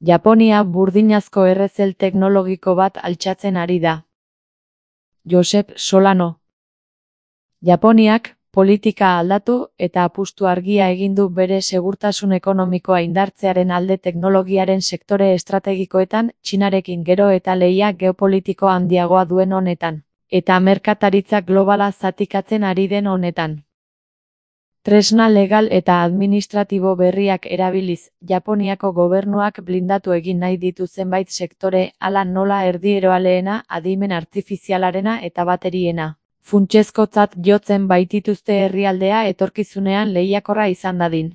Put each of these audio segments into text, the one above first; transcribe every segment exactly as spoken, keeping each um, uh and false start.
Japonia burdinazko errezel teknologiko bat altxatzen ari da. Josep Solano. Japoniak politika aldatu eta apustu argia egin du bere segurtasun ekonomikoa indartzearen alde teknologiaren sektore estrategikoetan Txinarekin gero eta lehia geopolitiko handiagoa duen honetan, eta merkataritza globala zatikatzen ari den honetan. Tresna legal eta administratibo berriak erabiliz, Japoniako gobernuak blindatu egin nahi ditu zenbait sektore, hala nola erdieroaleena, adimen artifizialarena eta bateriena. Funtsezkotzat jotzen baitituzte herrialdea etorkizunean lehiakorra izan dadin.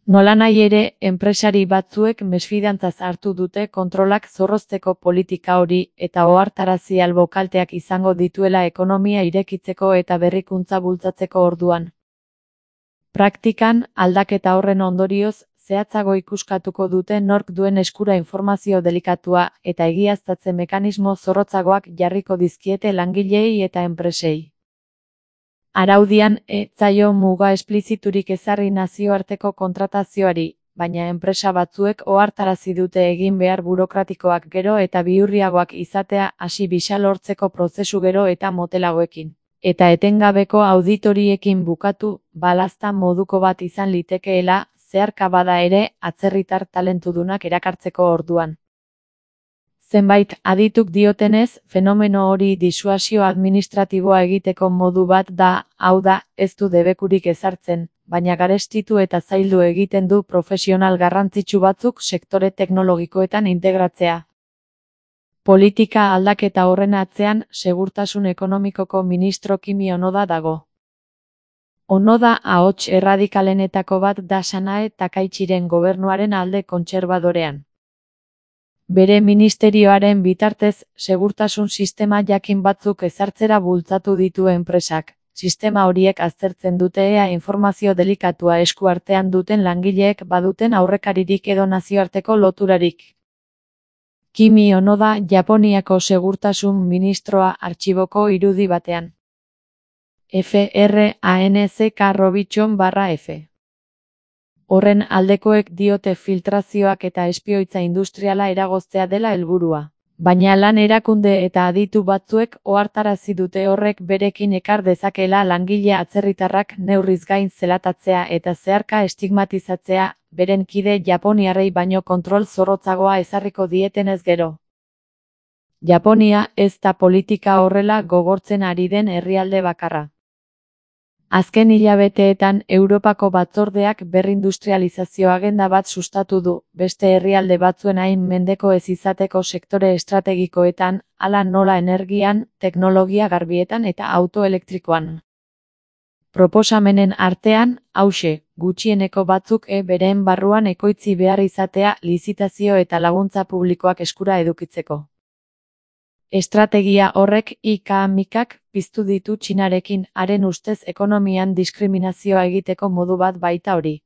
Nolanahi ere, enpresari batzuek mesfidantzaz hartu dute kontrolak zorrozteko politika hori eta ohartarazi albo kalteak izango dituela ekonomia irekitzeko eta berrikuntza bultzatzeko orduan. Praktikan, aldaketa horren ondorioz, zehatzago ikuskatuko dute nork duen eskura informazio delikatua eta egiaztatze mekanismo zorrotzagoak jarriko dizkiete langileei eta enpresei. Araudian, ez zaio muga espliziturik ezarri nazioarteko kontratazioari, baina enpresa batzuek ohartarazi dute egin behar burokratikoak gero eta bihurriagoak izatea hasi bisa lortzeko prozesu gero eta motelagoekin. Eta etengabeko auditoriekin bukatu, balazta moduko bat izan litekeela, zeharka bada ere, atzerritar talentudunak erakartzeko orduan. Zenbait adituk diotenez, fenomeno hori disuasio administratiboa egiteko modu bat da, hau da, ez du debekurik ezartzen, baina garestitu eta zaildu egiten du profesional garrantzitsu batzuk sektore teknologikoetan integratzea. Politika aldaketa horren atzean, segurtasun ekonomikoko ministro Kimi Onoda dago. Onoda ahots erradikalenetako bat da Sanae Takaichiren gobernuaren alde kontserbadorean. Bere ministerioaren bitartez, segurtasun sistema jakin batzuk ezartzera bultzatu ditu enpresak. Sistema horiek aztertzen dute ea informazio delikatua esku artean duten langileek baduten aurrekaririk edo nazioarteko loturarik. Kimi Onoda Japoniako segurtasun ministroa artxiboko irudi batean. F R A N C K Robitxon barra F. Horren aldekoek diote filtrazioak eta espioitza industriala eragoztea dela helburua. Baina lan erakunde eta aditu batzuek ohartarazi dute horrek berekin ekar dezakela langile atzerritarrak neurriz gain zelatatzea eta zeharka estigmatizatzea, beren kide japoniarrei baino kontrol zorrotzagoa ezarriko dietenez gero. Japonia ez da politika horrela gogortzen ari den herrialde bakarra. Azken hilabeteetan Europako batzordeak berrindustrializazio agenda bat sustatu du, beste herrialde batzuen hain mendeko ez izateko sektore estrategikoetan, hala nola energian, teknologia garbietan eta autoelektrikoan. Proposamenen artean, hauxe, gutxieneko batzuk e beren barruan ekoitzi behar izatea lizitazio eta laguntza publikoak eskura edukitzeko. Estrategia horrek I K mikak piztu ditu Txinarekin, haren ustez ekonomian diskriminazioa egiteko modu bat baita hori.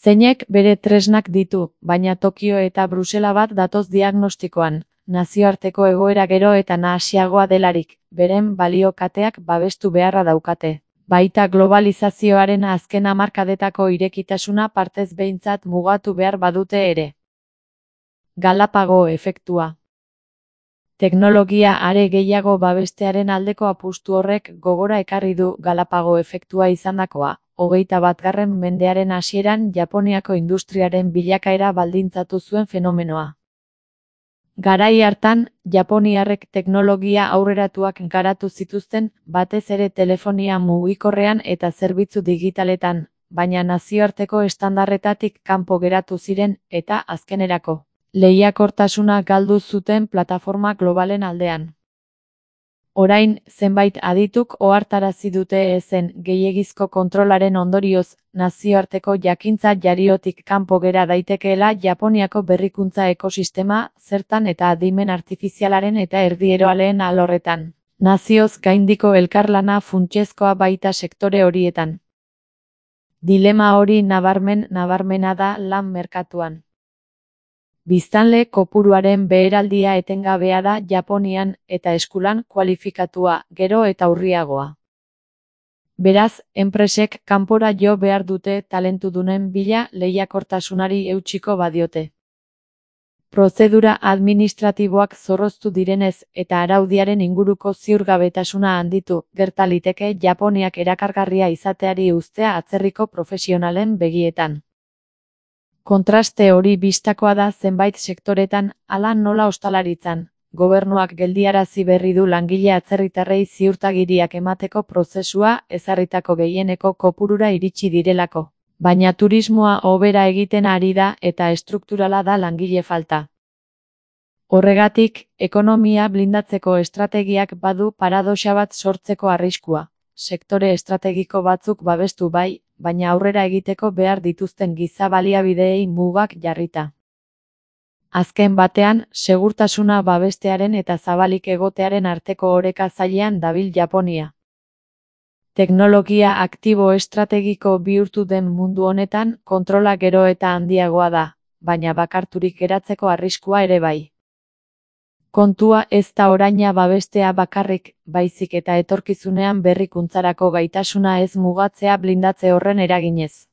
Zeinek bere tresnak ditu, baina Tokio eta Brusela bat datoz diagnostikoan, nazioarteko egoera gero eta nahasiagoa delarik, beren balio kateak babestu beharra daukate. Baita globalizazioaren azken hamarkadetako irekitasuna partez behintzat mugatu behar badute ere. Galapago efektua. Teknologia are gehiago babestearen aldeko apustu horrek gogora ekarri du Galapago efektua izandakoa, hogeita batgarren mendearen hasieran Japoniako industriaren bilakaera baldintzatu zuen fenomenoa. Garai hartan, japoniarrek teknologia aurreratuak garatu zituzten, batez ere telefonia mugikorrean eta zerbitzu digitaletan, baina nazioarteko estandarretatik kanpo geratu ziren eta azkenerako lehiakortasuna galdu zuten plataforma globalen aldean. Orain, zenbait adituk ohartarazi dute ezen gehiegizko kontrolaren ondorioz, nazioarteko jakintza jariotik kanpo gera daitekeela Japoniako berrikuntza ekosistema, zertan eta adimen artifizialaren eta erdieroaleen alorretan. Nazioz gaindiko elkarlana funtsezkoa baita sektore horietan. Dilema hori nabarmen nabarmena da lan merkatuan. Biztanle kopuruaren beheraldia etengabea da Japonian eta eskulan kualifikatua, gero eta urriagoa. Beraz, enpresek kanpora jo behar dute talentudunen bila lehiakortasunari eutsiko badiote. Prozedura administratiboak zorroztu direnez eta araudiaren inguruko ziurgabetasuna handitu, gerta liteke Japoniak erakargarria izateari uztea atzerriko profesionalen begietan. Kontraste hori bistakoa da zenbait sektoretan, hala nola ostalaritzan. Gobernuak geldiarazi berri du langile atzerritarrei ziurtagiriak emateko prozesua ezarritako gehieneko kopurura iritsi direlako. Baina turismoa hobera egiten ari da eta estrukturala da langile falta. Horregatik, ekonomia blindatzeko estrategiak badu paradoxa bat sortzeko arriskua. Sektore estrategiko batzuk babestu bai, baina aurrera egiteko behar dituzten giza baliabideei mugak jarrita. Azken batean, segurtasuna babestearen eta zabalik egotearen arteko oreka zailean dabil Japonia. Teknologia aktibo estrategiko bihurtu den mundu honetan, kontrola gero eta handiagoa da, baina bakarturik geratzeko arriskua ere bai. Kontua ez da oraina babestea bakarrik, baizik eta etorkizunean berrikuntzarako gaitasuna ez mugatzea blindatze horren eraginez.